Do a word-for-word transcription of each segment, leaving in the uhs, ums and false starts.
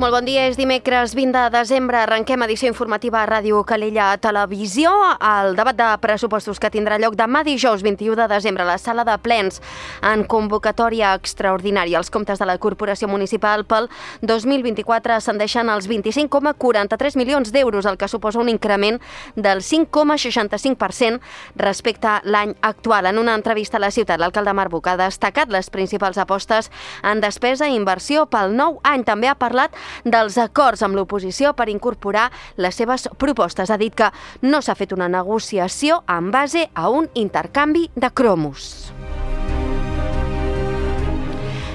Molt bon dia, és dimecres vint de desembre, arrenquem edició informativa a Ràdio Calella Televisió. El debat de pressupostos que tindrà lloc demà dijous vint-i-u de desembre a la sala de plens en convocatòria extraordinària. Els comptes de la Corporació Municipal pel dos mil vint-i-quatre ascendeixen als vint-i-cinc coma quaranta-tres milions d'euros, el que suposa un increment del cinc coma seixanta-cinc per cent respecte a l'any actual. En una entrevista a la ciutat, l'alcalde Marc Buch ha destacat les principals apostes en despesa i inversió pel nou any. També ha parlat dels acords amb l'oposició per incorporar les seves propostes. Ha dit que no s'ha fet una negociació en base a un intercanvi de cromos.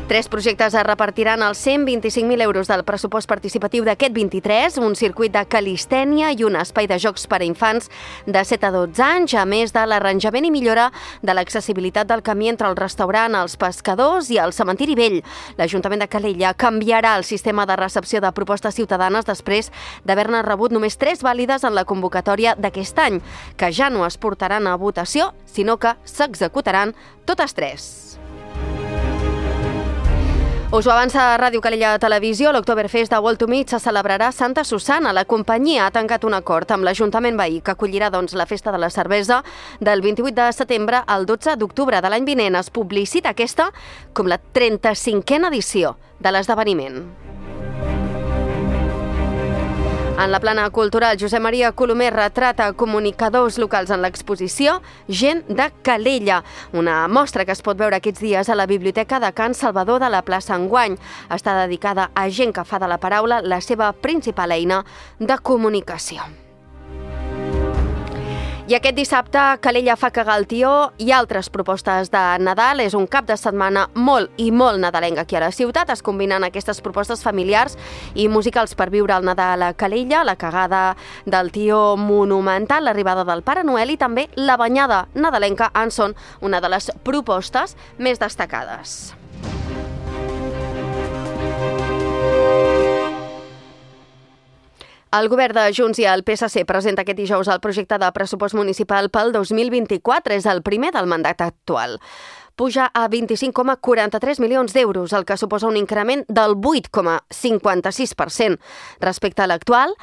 Tres projectes es repartiran els cent vint-i-cinc mil euros del pressupost participatiu d'aquest vint-i-tres, un circuit de calistènia i un espai de jocs per a infants de set a dotze anys, a més de l'arranjament i millora de l'accessibilitat del camí entre el restaurant, els pescadors i el cementiri vell. L'Ajuntament de Calella canviarà el sistema de recepció de propostes ciutadanes després d'haver-ne rebut només tres vàlides en la convocatòria d'aquest any, que ja no es portaran a votació, sinó que s'executaran totes tres. Us ho avança Ràdio Calella Televisió. L'Oktoberfest de Wall to Meet se celebrarà a Santa Susanna. La companyia ha tancat un acord amb l'Ajuntament veí que acollirà doncs, la festa de la cervesa del vint-i-vuit de setembre al dotze d'octubre de l'any vinent. Es publicita aquesta com la trenta-cinquena edició de l'esdeveniment. En la plana cultural, Josep Maria Colomer retrata comunicadors locals en l'exposició Gent de Calella, una mostra que es pot veure aquests dies a la Biblioteca de Can Salvador de la plaça Enguany. Està dedicada a gent que fa de la paraula la seva principal eina de comunicació. I aquest dissabte, Calella fa cagar el tió i altres propostes de Nadal. És un cap de setmana molt i molt nadalenc aquí a la ciutat. Es combinen aquestes propostes familiars i musicals per viure el Nadal a Calella, la cagada del tió monumental, l'arribada del Pare Noel i també la banyada nadalenca en són una de les propostes més destacades. El govern de Junts i el P S C presenta aquest dijous el projecte de pressupost municipal pel dos mil vint-i-quatre. És el primer del mandat actual. Puja a vint-i-cinc coma quaranta-tres milions d'euros, el que suposa un increment del vuit coma cinquanta-sis per cent respecte a l'actual,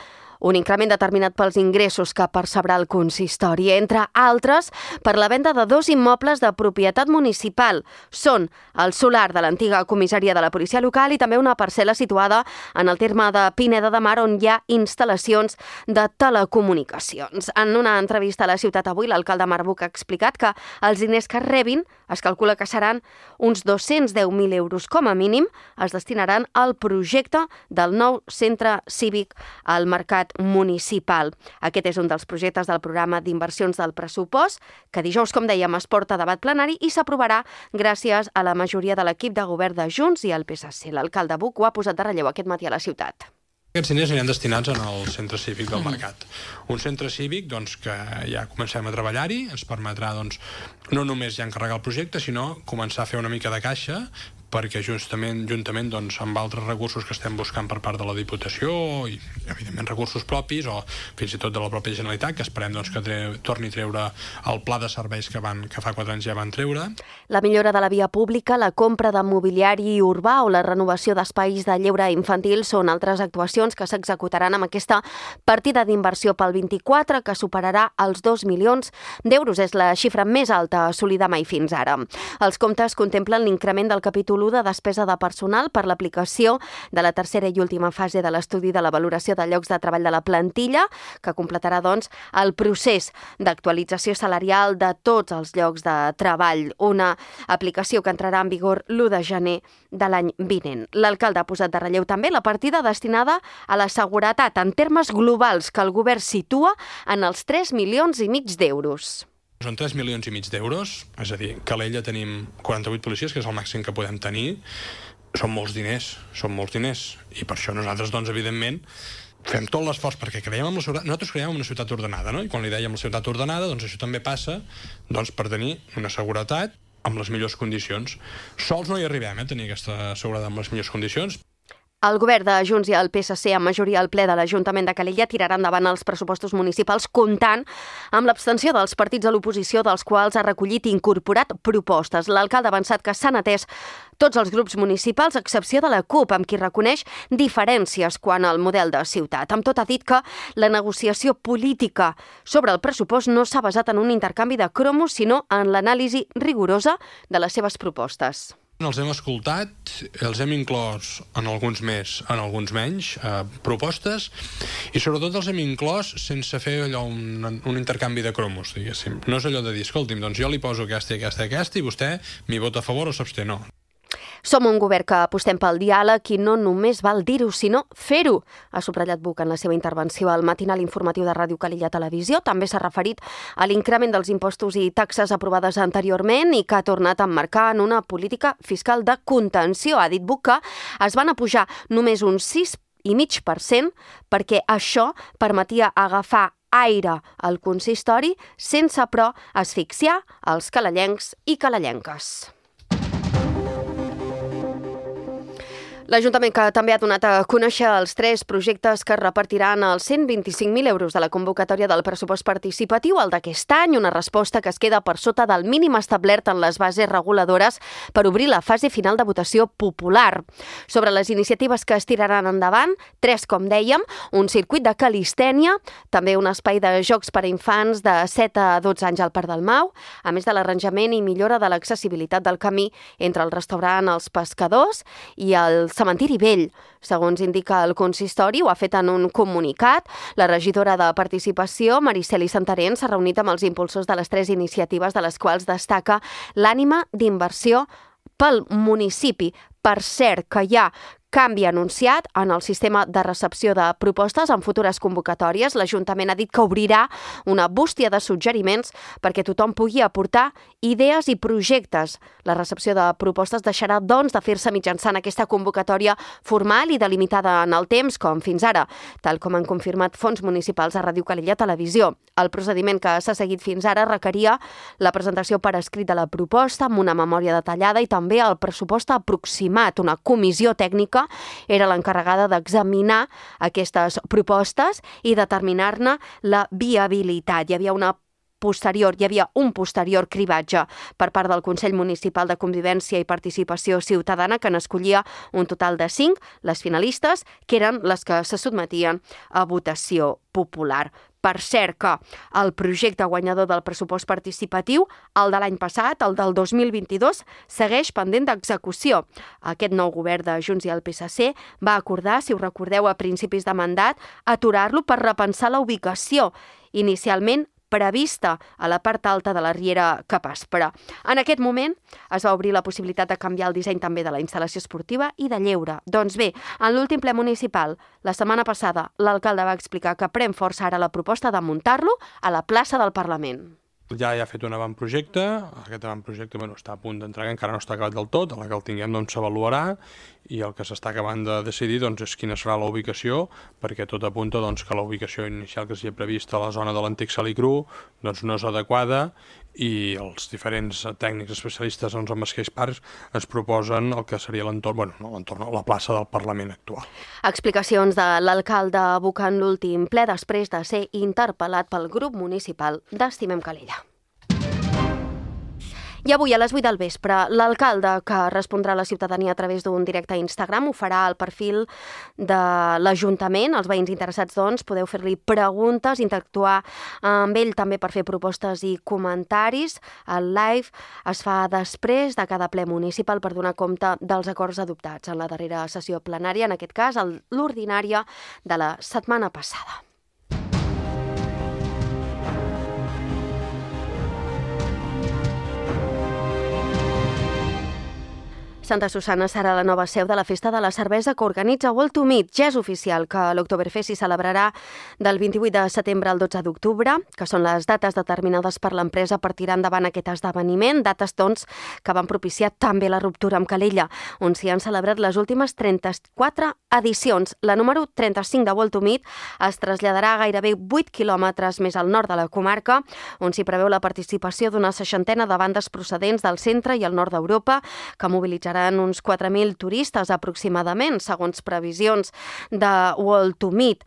un increment determinat pels ingressos que percebrà el consistori, entre altres per la venda de dos immobles de propietat municipal. Són el solar de l'antiga comissaria de la policia local i també una parcel·la situada en el terme de Pineda de Mar, on hi ha instal·lacions de telecomunicacions. En una entrevista a la ciutat avui, l'alcalde Marc Buch ha explicat que els diners que rebin es calcula que seran uns dos-cents deu mil euros com a mínim, es destinaran al projecte del nou centre cívic al mercat municipal. Aquest és un dels projectes del programa d'inversions del pressupost, que dijous, com dèiem, es porta a debat plenari i s'aprovarà gràcies a la majoria de l'equip de govern de Junts i el P S C. L'alcalde Buch ho ha posat de relleu aquest matí a la ciutat. Aquests diners aniran destinats al centre cívic del Mercat. Un centre cívic doncs, que ja comencem a treballar-hi, ens permetrà doncs, no només ja encarregar el projecte, sinó començar a fer una mica de caixa, perquè justament, juntament doncs, amb altres recursos que estem buscant per part de la Diputació i, evidentment, recursos propis o fins i tot de la pròpia Generalitat, que esperem doncs, que treu, torni a treure el pla de serveis que, van, que fa quatre anys ja van treure. La millora de la via pública, la compra de mobiliari urbà o la renovació d'espais de lleure infantil són altres actuacions que s'executaran amb aquesta partida d'inversió pel vint-i-quatre, que superarà els dos milions d'euros. És la xifra més alta assolida mai fins ara. Els comptes contemplen l'increment del capítol de despesa de personal per l'aplicació de la tercera i última fase de l'estudi de la valoració de llocs de treball de la plantilla, que completarà doncs, el procés d'actualització salarial de tots els llocs de treball, una aplicació que entrarà en vigor l'u de gener de l'any vinent. L'alcalde ha posat de relleu també la partida destinada a la seguretat en termes globals, que el govern situa en els tres milions i mig d'euros. Són tres milions i mig d'euros, és a dir, que a Calella tenim quaranta-vuit policies, que és el màxim que podem tenir. Són molts diners, són molts diners. I per això nosaltres, doncs, evidentment, fem tot l'esforç, perquè creiem en la ciutat, nosaltres creiem en una ciutat ordenada, no? I quan li dèiem la ciutat ordenada, doncs això també passa doncs, per tenir una seguretat amb les millors condicions. Sols no hi arribem, eh, a tenir aquesta seguretat amb les millors condicions. El govern de Junts i el P S C, amb majoria al ple de l'Ajuntament de Calella, tirarà endavant els pressupostos municipals comptant amb l'abstenció dels partits de l'oposició, dels quals ha recollit i incorporat propostes. L'alcalde ha avançat que s'han atès tots els grups municipals, a excepció de la CUP, amb qui reconeix diferències quant al model de ciutat. Amb tot, ha dit que la negociació política sobre el pressupost no s'ha basat en un intercanvi de cromos, sinó en l'anàlisi rigorosa de les seves propostes. Els hem escoltat, els hem inclòs en alguns més, en alguns menys, eh, propostes, i sobretot els hem inclòs sense fer allò un, un intercanvi de cromos, diguéssim. No és allò de dir, escolti'm, doncs jo li poso aquesta i aquesta i aquesta i vostè m'hi vota a favor o s'absté, no. Som un govern que apostem pel diàleg i no només val dir-ho, sinó fer-ho, ha subratllat Buch en la seva intervenció al matinal informatiu de Ràdio Calella Televisió. També s'ha referit a l'increment dels impostos i taxes aprovades anteriorment i que ha tornat a emmarcar en una política fiscal de contenció. Ha dit Buch que es van apujar només un sis i mig per cent perquè això permetia agafar aire al consistori sense, però, asfixiar els calellencs i calellenques. L'Ajuntament, que també ha donat a conèixer els tres projectes que repartiran els cent vint-i-cinc mil euros de la convocatòria del pressupost participatiu, el d'aquest any, una resposta que es queda per sota del mínim establert en les bases reguladores per obrir la fase final de votació popular. Sobre les iniciatives que es tiraran endavant, tres, com dèiem, un circuit de calistènia, també un espai de jocs per a infants de set a dotze anys al Parc del Mau, a més de l'arranjament i millora de l'accessibilitat del camí entre el restaurant Els Pescadors i el Cementiri Vell. Segons indica el consistori, ho ha fet en un comunicat. La regidora de Participació, Mariceli Santarén, s'ha reunit amb els impulsors de les tres iniciatives, de les quals destaca l'ànima d'inversió pel municipi. Per cert, que hi ha canvi anunciat en el sistema de recepció de propostes en futures convocatòries. L'Ajuntament ha dit que obrirà una bústia de suggeriments perquè tothom pugui aportar idees i projectes. La recepció de propostes deixarà, doncs, de fer-se mitjançant aquesta convocatòria formal i delimitada en el temps, com fins ara, tal com han confirmat fons municipals a Ràdio Calella Televisió. El procediment que s'ha seguit fins ara requeria la presentació per escrit de la proposta amb una memòria detallada i també el pressupost aproximat. Una comissió tècnica era l'encarregada d'examinar aquestes propostes i determinar-ne la viabilitat. Hi havia una posterior, hi havia un posterior cribatge per part del Consell Municipal de Convivència i Participació Ciutadana, que n'escollia un total de cinc, les finalistes, que eren les que se sotmetien a votació popular. Per cert que el projecte guanyador del pressupost participatiu, el de l'any passat, el del dos mil vint-i-dos, segueix pendent d'execució. Aquest nou govern de Junts i el P S C va acordar, si ho recordeu, a principis de mandat, aturar-lo per repensar la ubicació. Inicialment prevista a la part alta de la Riera Capaspera. En aquest moment es va obrir la possibilitat de canviar el disseny també de la instal·lació esportiva i de lleure. Doncs bé, en l'últim ple municipal, la setmana passada, l'alcalde va explicar que pren força ara la proposta de muntar-lo a la plaça del Parlament. Ja hi ha fet un avantprojecte, aquest avantprojecte bueno, està a punt d'entregar, encara no està acabat del tot, a la que el tinguem doncs, s'avaluarà i el que s'està acabant de decidir doncs, és quina serà la ubicació, perquè tot apunta doncs, que la ubicació inicial que s'hi ha prevista a la zona de l'antic Salicru doncs, no és adequada i els diferents tècnics especialistes doncs, en Escacs Parcs ens proposen el que seria l'entorn, bueno, no, l'entorn, la plaça del Parlament actual. Explicacions de l'alcalde abocant l'últim ple després de ser interpel·lat pel grup municipal d'Estimem Calella. I avui a les vuit del vespre, l'alcalde, que respondrà a la ciutadania a través d'un directe a Instagram, ho farà al perfil de l'Ajuntament. Els veïns interessats, doncs, podeu fer-li preguntes, interactuar amb ell també per fer propostes i comentaris. El live es fa després de cada ple municipal per donar compte dels acords adoptats en la darrera sessió plenària, en aquest cas l'ordinària de la setmana passada. Santa Susanna serà la nova seu de la Festa de la Cervesa que organitza World to Meet. Ja és oficial que l'Oktoberfest s'hi celebrarà del vint-i-vuit de setembre al dotze d'octubre, que són les dates determinades per l'empresa per tirar endavant aquest esdeveniment, dates, doncs, que van propiciar també la ruptura amb Calella, on s'hi han celebrat les últimes trenta-quatre edicions. La número trenta-cinc de World to Meet es traslladarà a gairebé vuit quilòmetres més al nord de la comarca, on s'hi preveu la participació d'una seixantena de bandes procedents del centre i el nord d'Europa, que mobilitzaran seran uns quatre mil turistes aproximadament, segons previsions de World to Meet.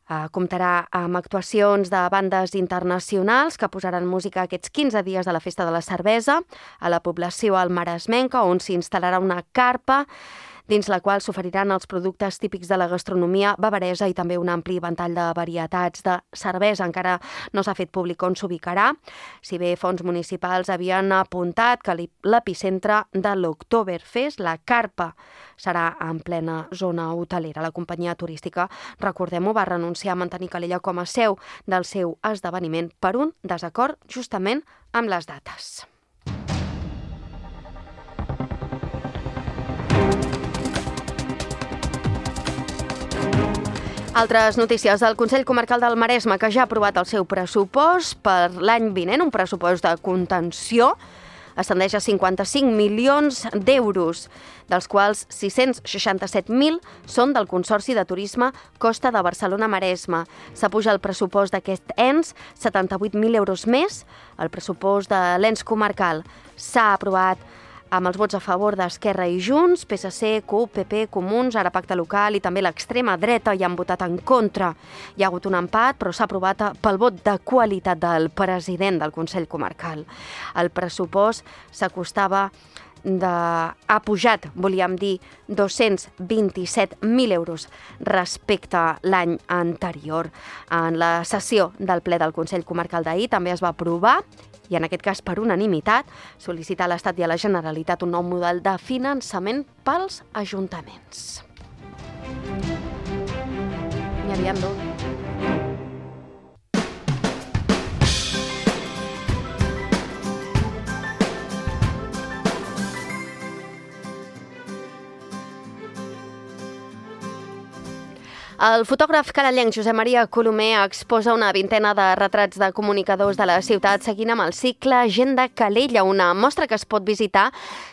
Uh, comptarà amb actuacions de bandes internacionals que posaran música aquests quinze dies de la Festa de la Cervesa a la població almaresmenca, on s'instal·larà una carpa dins la qual s'oferiran els productes típics de la gastronomia bavaresa i també un ampli ventall de varietats de cervesa. Encara no s'ha fet públic on s'ubicarà, si bé fons municipals havien apuntat que l'epicentre de l'Oktoberfest, la carpa, serà en plena zona hotelera. La companyia turística, recordem-ho, va renunciar a mantenir Calella com a seu del seu esdeveniment per un desacord justament amb les dates. Altres notícies. El Consell Comarcal del Maresme, que ja ha aprovat el seu pressupost per l'any vinent, un pressupost de contenció, ascendeix a cinquanta-cinc milions d'euros, dels quals sis-cents seixanta-set mil són del Consorci de Turisme Costa de Barcelona-Maresme. S'apuja el pressupost d'aquest ens setanta-vuit mil euros més. El pressupost de l'ens comarcal s'ha aprovat amb els vots a favor d'Esquerra i Junts, P S C, C U P, P P, Comuns, ara Pacte Local i també l'extrema dreta hi han votat en contra. Hi ha hagut un empat, però s'ha aprovat pel vot de qualitat del president del Consell Comarcal. El pressupost s'acostava de... ha pujat, volíem dir, dos-cents vint-i-set mil euros respecte a l'any anterior. En la sessió del ple del Consell Comarcal d'ahir també es va aprovar, i en aquest cas per unanimitat, sol·licitar a l'Estat i a la Generalitat un nou model de finançament pels ajuntaments. N'hi havien dos. El fotògraf carallenc Josep Maria Colomer exposa una vintena de retrats de comunicadors de la ciutat seguint amb el cicle Gent de Calella, una mostra que es pot visitar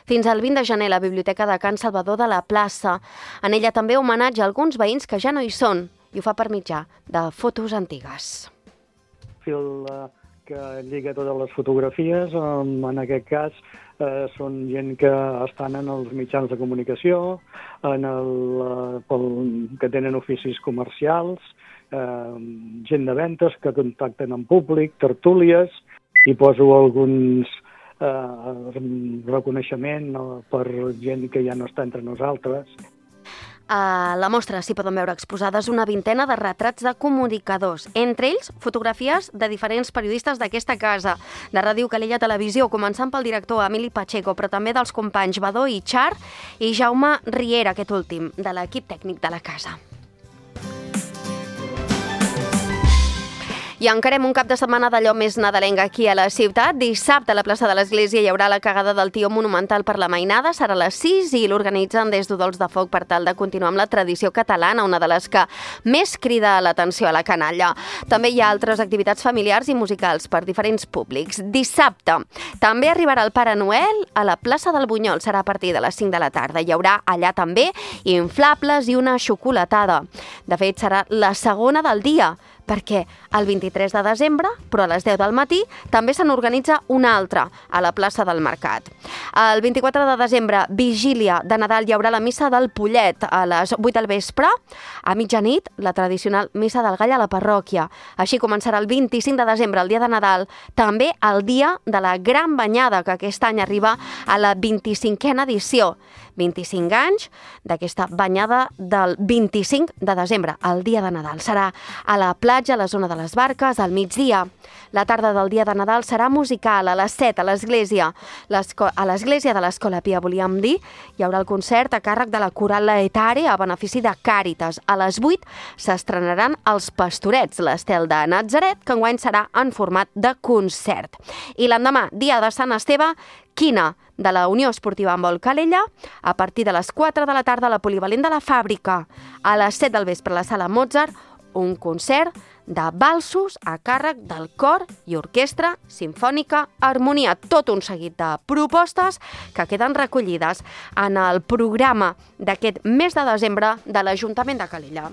fins al vint de gener a la Biblioteca de Can Salvador de la Plaça. En ella també homenatge a alguns veïns que ja no hi són i ho fa per mitjà de fotos antigues. Fil que lliga totes les fotografies, en aquest cas eh, són gent que estan en els mitjans de comunicació, en el, eh, pel, que tenen oficis comercials, eh, gent de ventes que contacten amb públic, tertúlies, i poso alguns eh, reconeixement no, per gent que ja no està entre nosaltres. A la mostra s'hi poden veure exposades una vintena de retrats de comunicadors, entre ells fotografies de diferents periodistes d'aquesta casa, de Ràdio Calella Televisió, començant pel director Emili Pacheco, però també dels companys Badó i Char i Jaume Riera, aquest últim, de l'equip tècnic de la casa. I encarem un cap de setmana d'allò més nadalenc aquí a la ciutat. Dissabte a la plaça de l'Església hi haurà la cagada del Tió monumental per la mainada. Serà a les sis i l'organitzen des d'Udols de Foc per tal de continuar amb la tradició catalana, una de les que més crida l'atenció a la canalla. També hi ha altres activitats familiars i musicals per diferents públics. Dissabte també arribarà el Pare Noel a la plaça del Bunyol. Serà a partir de les cinc de la tarda. Hi haurà allà també inflables i una xocolatada. De fet, serà la segona del dia, perquè el vint-i-tres de desembre, però a les deu del matí, també se n'organitza una altra a la plaça del Mercat. El vint-i-quatre de desembre, vigília de Nadal, hi haurà la missa del Pollet a les vuit del vespre. A mitjanit, la tradicional missa del Gall a la parròquia. Així començarà el vint-i-cinc de desembre, el dia de Nadal, també el dia de la Gran Banyada, que aquest any arriba a la vint-i-cinquena edició. vint-i-cinc anys d'aquesta banyada del vint-i-cinc de desembre, el dia de Nadal. Serà a la platja, a la zona de les barques, al migdia. La tarda del dia de Nadal serà musical a les set a l'església. A l'església de l'Escola Pia, volíem dir, hi haurà el concert a càrrec de la Coral Laetare a benefici de Càritas. A les vuit s'estrenaran els Pastorets, l'estel de Natzaret, que enguany serà en format de concert. I l'endemà, dia de Sant Esteve, quina de la Unió Esportiva Handbol Calella, a partir de les quatre de la tarda a la Polivalent de la Fàbrica. A les set del vespre a la Sala Mozart, un concert de valsos a càrrec del Cor i Orquestra Simfònica Harmonia. Tot un seguit de propostes que queden recollides en el programa d'aquest mes de desembre de l'Ajuntament de Calella.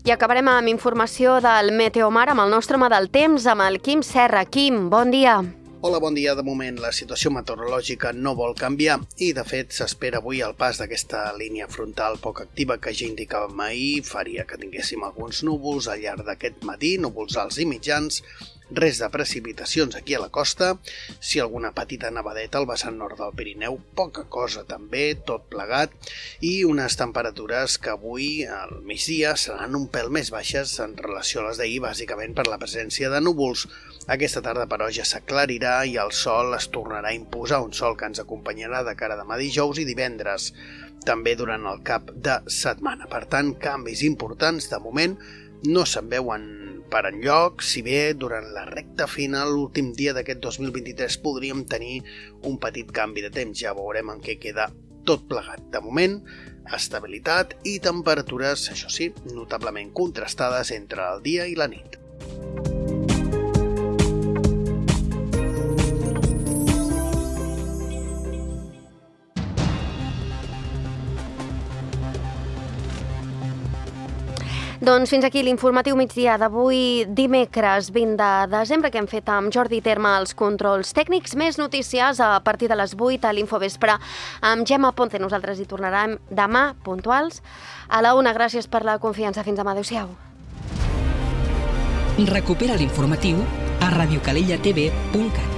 I acabarem amb informació del Meteomar amb el nostre home del temps, amb el Quim Serra. Quim, bon dia. Hola, bon dia. De moment la situació meteorològica no vol canviar i, de fet, s'espera avui el pas d'aquesta línia frontal poc activa que ja indicàvem ahir. Faria que tinguéssim alguns núvols al llarg d'aquest matí, núvols alts i mitjans, res de precipitacions aquí a la costa, si alguna petita nevadeta al vessant nord del Pirineu, poca cosa també, tot plegat, i unes temperatures que avui al migdia seran un pèl més baixes en relació a les d'ahir, bàsicament per la presència de núvols. Aquesta tarda, però, ja s'aclarirà i el sol es tornarà a imposar, un sol que ens acompanyarà de cara a demà dijous i divendres, també durant el cap de setmana. Per tant, canvis importants de moment no se'n veuen per enlloc, si bé durant la recta final, l'últim dia d'aquest dos mil vint-i-tres, podríem tenir un petit canvi de temps. Ja veurem en què queda tot plegat. De moment, estabilitat i temperatures, això sí, notablement contrastades entre el dia i la nit. Doncs fins aquí l'informatiu migdia d'avui, dimecres vint de desembre, que hem fet amb Jordi Terma als controls tècnics. Més notícies a partir de les vuit a l'Infovespre amb Gemma Ponte. Nosaltres hi tornarem demà puntuals a la una. Gràcies per la confiança. Fins demà. Adéu-siau. Recupera l'informatiu a radiocalellatv punt cat.